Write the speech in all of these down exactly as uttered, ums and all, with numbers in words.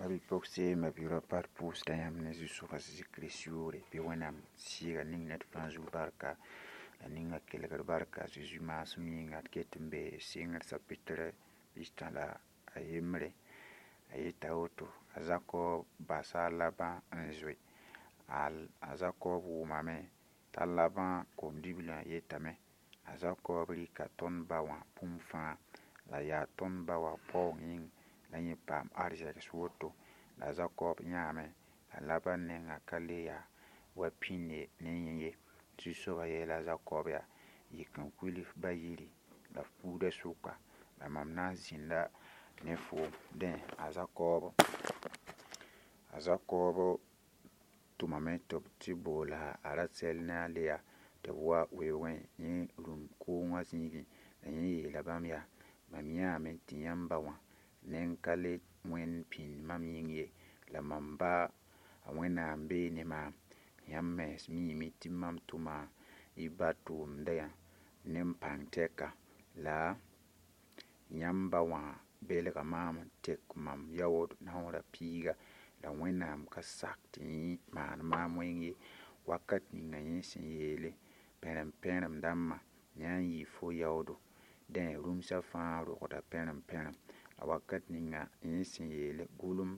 Ma-bi-pogse, ma-bi-raopa, d pʋʋsda yãmb ne Zu-soaba Zezi Kirist yʋʋre bɩ Wẽnnaam sɩɩga ning ned fãa zug barka la ninga kelgd barka a Zezi maasem yĩnga d ket n be sɩngr sapitre pistã la a yembre a yeta woto a Zakɔb basa a Labã n zoe a Zakɔb wʋmame t'a Labã kom-diblã yetame a Zakɔb rɩka tõnd ba wã bũmb fãa la yaa tõnd ba wã paoong yĩng la yẽ paam arzegs woto la a Zakɔb yãame la Labã nengã ka le yaa wa pĩnde ne yẽ ye Zu-soabã yeela a Zakɔb yaa yik n kuil f ba yiri la f buudã sʋka la mam na n zĩnda ne foom dẽ a Zakɔb a Zakɔb tʋmame tɩ b tɩ boola a Rasɛl ne a Leya tɩ b wa weoogẽ yẽ rũm koongã zĩigẽ la yẽ yeela bãmb yaa mam yãame tɩ yãmb ba wã neng ka le wẽnd pĩnd mam yĩng ye la mam ba a Wẽnnaam bee ne maam yãmb mens miime tɩ mam tʋma y ba tʋʋmdã ne m pãng tɛka la yãmb ba wã belga maam n tek mam yaood naoorã piiga la Wẽnnaam ka sak tɩ yẽ maan maam wẽng ye wakat ninga yẽ sẽn yeele pẽrem-pẽrem dãmbã yã n yɩ fo yaoodo dẽ rũmsã fãa rogda pẽrem-pẽrem la wakat ninga yẽ sẽn yeele gʋlem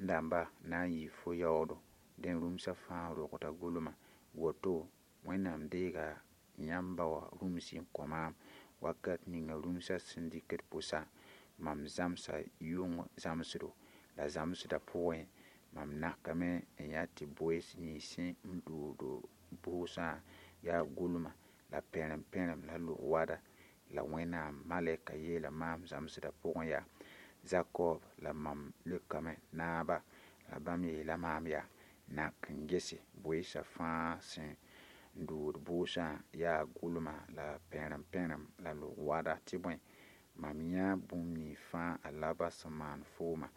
dãmba na n yɩ fo yaoodo dẽ rũmsã fãa rogda gʋlma woto Wẽnnaam deega yãmb ba wã rũmsi n kõ maam wakat ninga rũmsã sẽn dɩkd pʋsã mam zãmsa yʋng zãmsdo la zãmsdã pʋgẽ mam nakame n yaa tɩ boees nins sẽn n dood bʋʋsã yaa gʋlma la pẽrem-pẽrem la lʋg-wada la Wẽnnaam malɛka yeela maam zãmsdã pʋgẽ yaa Zakɔb la mam leokame naaba la bãmb yeela maam yaa nak n gese boeesã fãa sẽn dood bʋʋsã yaa gʋlma la pẽrem-pẽrem la lʋg-wada tɩ bõe mam yã bũmb nins fãa a Labã sẽn maan fooma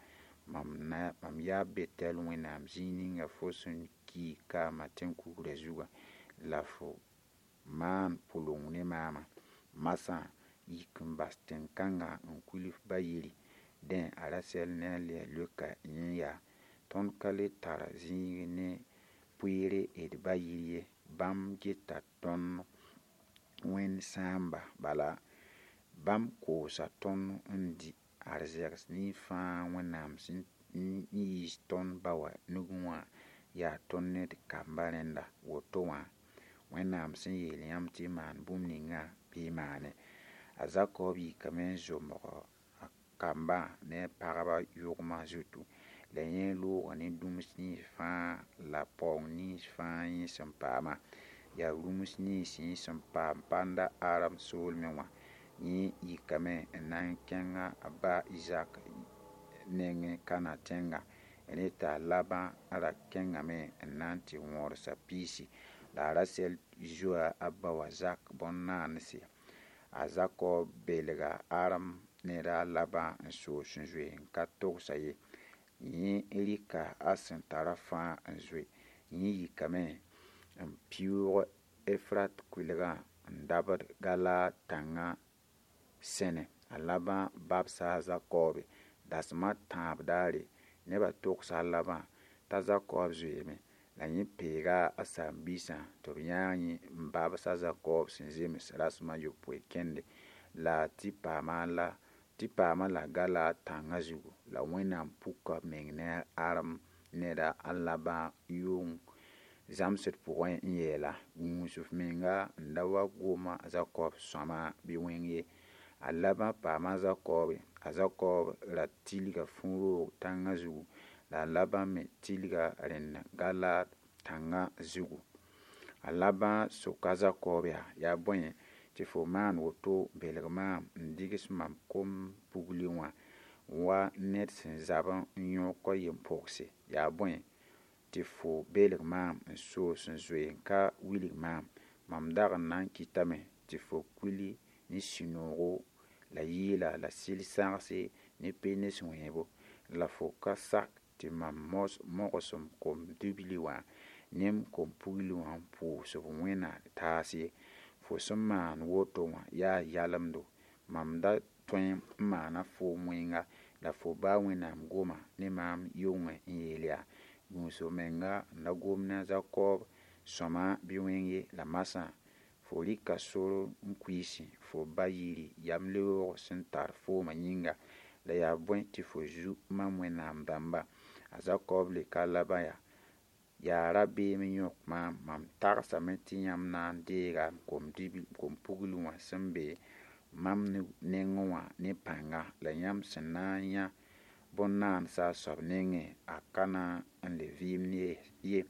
mam na mam yaa Betɛl Wẽnnaam zĩig ninga fo sẽn ki kaama tẽn-kugrã zugã la fo maan pʋleng ne maamã masã yik n bas tẽn-kãngã n kuil f ba yiri dẽ a Rasɛl ne a Leya leoka yẽ yaa tõnd ka le tar zĩig ne pʋɩɩre d ba yir ye bãmb geta tõnd wẽnd sãamba bala bãmb koosa tõnd n dɩ arzegs nins fãa Wẽnnaam sẽn yiis tõnd ba wã nugẽ wã yaa tõnd ne d kamba rẽnda woto wã Wẽnnaam sẽn yeel yãmb tɩ y maan bũmb ningã bɩ y maane a Zakɔb yikame n zomg a kambã ne a pagba yʋgmã zutu la yẽ looga ne dũms nins fãa la paoong nins fãa yẽ sẽn paama yaa rũms nins yẽ sẽn paam panda Aram soolmẽ wã yẽ yikame n na n kẽnga a ba Izak nengẽ Kãnã tẽnga rẽ t'a Labã ra kẽngame n na n tɩ wõrsa piisi la a Rasɛl zoa a ba wã Zak bõn-naanse a Zakɔb belga Aram ned a Labã n soos n zoe n ka togsa ye yẽ rɩka a sẽn tara fãa n zoe yẽ yikame n pɩʋʋg Efrat kʋɩlgã n dabd Galaad tãngã sẽne a Labã babsa a Zakɔbe dasem a tãab daare nebã togsa a Labã t'a Zakɔb zoeeme la yẽ peega a saam-biisã tɩ b yãag yẽ n babs a Zakɔb sẽn zems rasem a yopoe kẽnde la tɩ paama la tɩ paama la Galaad tãngã zugu la Wẽnnaam puka b meng ne Aram neda a Labã yʋng zãmsd pʋgẽ n yeela gũus f menga n da wa goma a Zakɔb sõama bɩ wẽng ye a Labã paama a Zakɔbe a Zakɔb ra tilga fũ-roog tãngã zugu la a Labã me tilga rẽnd Galaad tãngã zugu a Labã soka a Zakɔb yaa yaa bõe tɩ fo maan woto belg maam n digs mam kom-pugli wã wa ned sẽn zab n yõk a yem-pogse yaa bõe tɩ fo belg maam n soos n zoe n ka wilg maam mam dag n na n kɩtame tɩ fo kuili ne sũ-noogo la yɩɩla la sɩl-sãgse ne penes wẽebo la fo ka sak tɩ mam mogsem kom-dibli wã ne m kom-pugli wã n pʋʋs b wẽna taas ye fo sẽn maan woto wã yaa yalemdo mam da tõe n maana foom wẽnga La fo ba Wẽnnaam goma ne maam yʋngẽ n yeel yaa: Gũus f menga n da gom ne a Zakob sõma bɩ wẽng ye. La masã fo rɩka sor n kuiisẽ fo ba yiri yamleoog sẽn tar foomã yĩnga. La yaa bõe tɩ fo zu mam Wẽnnaam dãmba? A Zakob leoka a Laban yaa: Yaa rabeem n yõk maam, mam tagsame tɩ yãmb na n deega m kom-pugl wã sẽn be mam nengẽ wã ne pãnga. La yãmb sẽn na n yã bõn-naansa a soab nengẽ, a ka na n le vɩɩmd ye.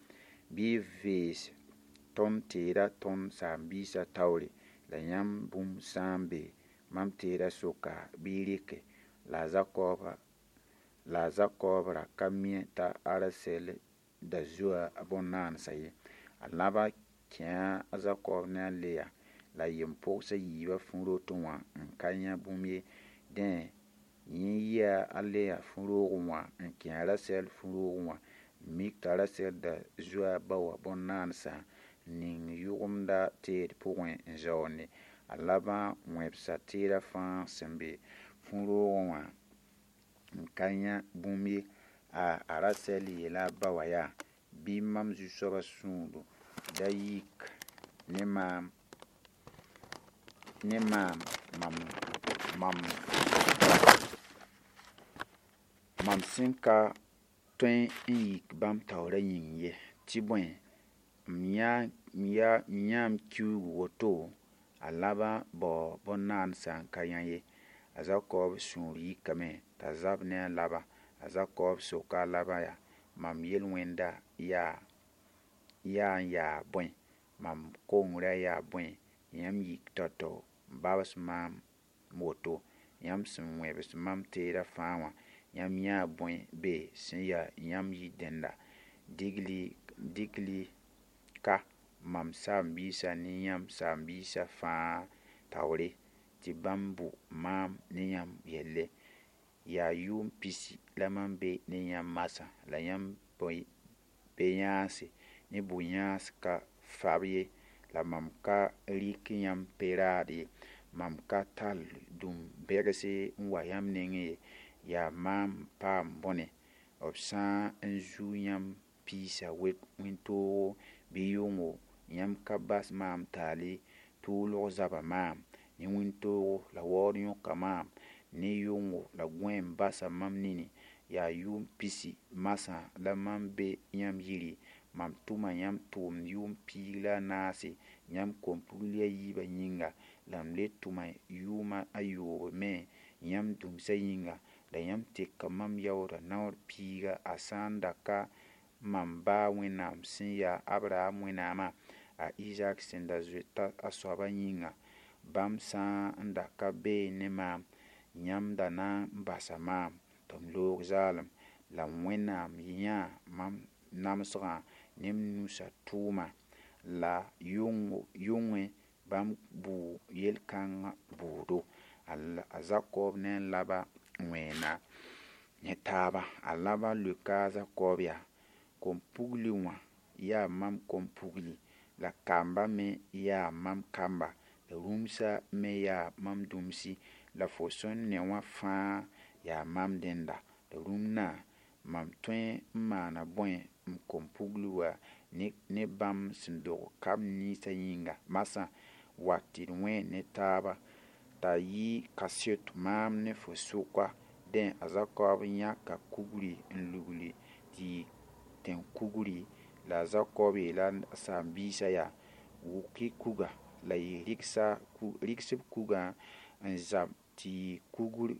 Bɩ y vees tõnd teeda tõnd saam-biisã taoore. La yãmb bũmb sã n be mam teedã sʋka, bɩ y rɩke. La a Zakob ra ka mi t'a Rasɛl da zoa a bõn-naansã ye. A Laban kẽe a Zakob ne a Leya la a yem-pogs a yiibã fu-rotẽ wã n ka yã bũmb ye. Dẽ, yẽ yia a Leya fu-roogẽ wã n kẽ a Rasɛl fu-roogẽ wã n mik t'a Rasɛl da zoa a ba wã bõn-naansã n ning yʋgemda teed pʋgẽ n zaoonde. A Laban wẽbsa teedã fãa sẽn be fu-roogẽ wã n ka yã bũmb ye. A Rasɛl yeela a ba wã yaa: Bɩ mam zu-soabã sũur da yik ne maam, ne maam mam mam mam sẽn ka tõe n yik bãmb taoorã yĩng ye, tɩ bõe, m yãa m kiuug woto. A Laban bao bõn-naansã n ka yã ye. A Zakob sũur yikame t'a zab ne a Laban. A Zakob soka a Laban yaa: Mam yel-wẽnda yaa n yaa bõe? Mam kongrã yaa bõe? Yãmb yik tao-tao n babs maam woto? Yãmb sẽn wẽbs mam teedã fãa wã, yãmb yãa bõe be sẽn ya yãmb yir-dẽnda? Dɩk-y ka mam saam-biisã ne yãmb saam-biisã fãa taoore, tɩ bãmb bʋ maam ne yãmb yelle. Yaa yʋʋm pisi la mam be ne yãmb masã, la yãmb be-yãanse ne bʋ-yãans ka fab ye, la mam ka rɩk yãmb pe-raad ye. Mam ka tall dũm-bɛgs n wa yãmb nengẽ ye. Yaa maam n paam bõne? B sã n zu yãmb piisã wẽn-toogo bɩ yʋngo, yãmb ka bas maam taal ye. Tʋʋlg zaba maam, ne wĩntoogo la waood yõka maam, ne yʋngo la gõeem basa mam nini. Yaa yʋʋm pisi masã la mam be yãmb yiri. Mam tʋma yãmb tʋʋmd yʋʋm piig la a naase yãmb kom-pugl a yiibã yĩnga, la m le tʋma yʋʋma a yoob me yãmb dũmsã yĩnga. La yãmb teka mam yaoodã naoor piiga, a sã n da ka mam ba Wẽnnaam sẽn yaa Abraham Wẽnnaamã, a Izaak sẽn da zoeta a soabã yĩnga. Bãmb sã n da ka beẽ ne maam, yãmb da na n basa maam tɩ m loog zaalem. La Wẽnnaam yãa mam namsgã ne m nusã tʋʋma. La yʋngẽ bãmb bʋʋ yel-kãngã bʋʋdo. A Zakob ne a Laban wẽena ne taaba. A Laban leoka a Zakob yaa: Kom-pugli wã yaa mam kom-pugli, la kamba me yaa mam kamba, la rũmsã me yaa mam dũmsi, la fo sẽn ne wã fãa yaa mam dẽnda. La rũmna, mam tõe n maana bõe m kom-pugl wã ne bãmb sẽn dog kamb ninsã yĩnga? Masã, wa tɩ d wẽen ne taaba t'a yɩ kaseto maam ne fo sʋka. Dẽ, a Zakob yãka kugri n lugli tɩ yɩ tẽn-kugri. La a Zakob yeela a saam-biisã yaa: Wʋk-y kuga. La y rɩgs b kugã n zab tɩ yɩ kugr,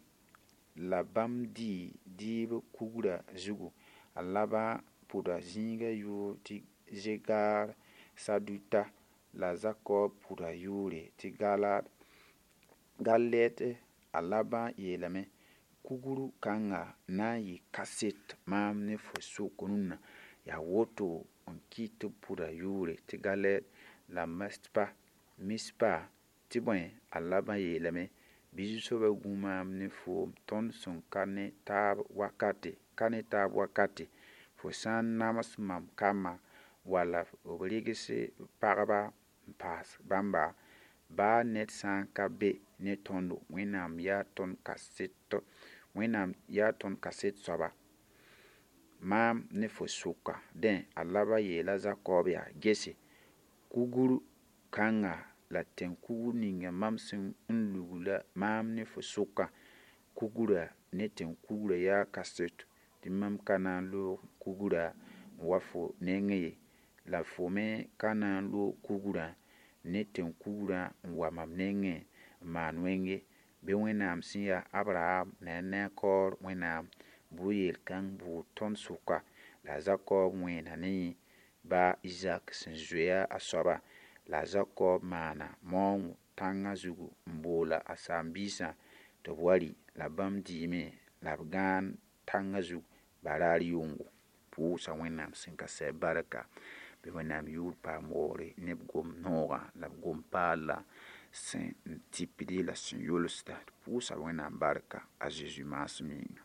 la bãmb dɩɩ dɩɩb kugrã zugu. A Laban pʋda zĩigã yʋʋr tɩ Zegaar Saduta, la a Zakob pʋda yʋʋre tɩ Galɛd. A Laban yeelame: Kugr kãngã na n yɩ kaset maam ne fo sʋk rũnna. Yaa woto n kɩt tɩ b pʋda yʋʋre tɩ Galɛd la Mispa. Tɩ bõe, a Laban yeelame: Bɩ Zu-soabã gũ maam ne foom tõnd sẽn ka ne taab wakate. Fo sã n nams mam kambã wala b rɩgs pagba n paas bãmba, baa ned sã n ka be ne tõndo, Wẽnnaam yaa tõnd kaseto. Wẽnnaam yaa tõnd kaset soaba maam ne fo sʋka. Dẽ a Laba yeela Zakɔb yaa: Gese, kugr kãnga la tẽn-kugr ninga mam sẽn n lugla maam ne fo sʋkã, kugrã ne tẽn-kugrã yaa kaseto tɩ mam ka na n loog kugrã n wa fo nengẽ ye, la fo me ka na n loog kugrã ne tẽn-kugrã n wa mam nengẽ n maan wẽng ye. Bɩ Wẽnnaam sẽn yaa Abraham la a Nakoor Wẽnnaam bʋ yel-kãng bʋʋg tõnd sʋka. La a Zakɔb wẽena ne yẽ ba Izak sẽn zoe a soaba. La a Zakɔb maana maoongo tãngã zugu n boola a saam-biisã tɩ b wa rɩ. La bãmb dɩɩme la b gãan tãngã zug baraar yʋngo. Pʋʋsa Wẽnnaam sẽn ka sɛ barka. Bɩ Wẽnnaam yʋʋr paam waoogre ne b gom-noogã la b gom-paala sẽn tɩpd la sẽn yʋlsda. Pʋʋsa Wẽnnaam barka a Zeezi maasem yĩnga.